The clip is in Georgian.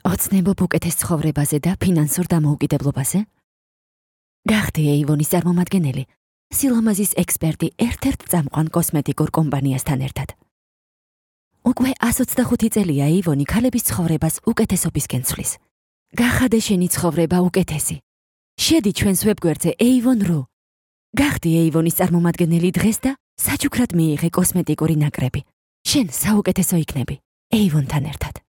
ოცნებობ უკეთეს ცხოვრებაზე და ფინანსურ დამოუკიდებლობაზე? გახდი ეივონის წარმომადგენელი, სილამაზის ექსპერტი ერთ-ერთ წამყვან კოსმეტიკურ კომპანიასთან ერთად. უკვე 125 წელია ეივონი ქალების ცხოვრებას უკეთესობისკენ ცვლის. გახადე შენი ცხოვრება უკეთესი. შედი ჩვენს ვებგვერდზე avon.ru. გახდი ეივონის წარმომადგენელი დღეს და საჩუქრად მიიღე კოსმეტიკური ნაკრები. შენ საუკეთესო იქნები. Avon-თან ერთად.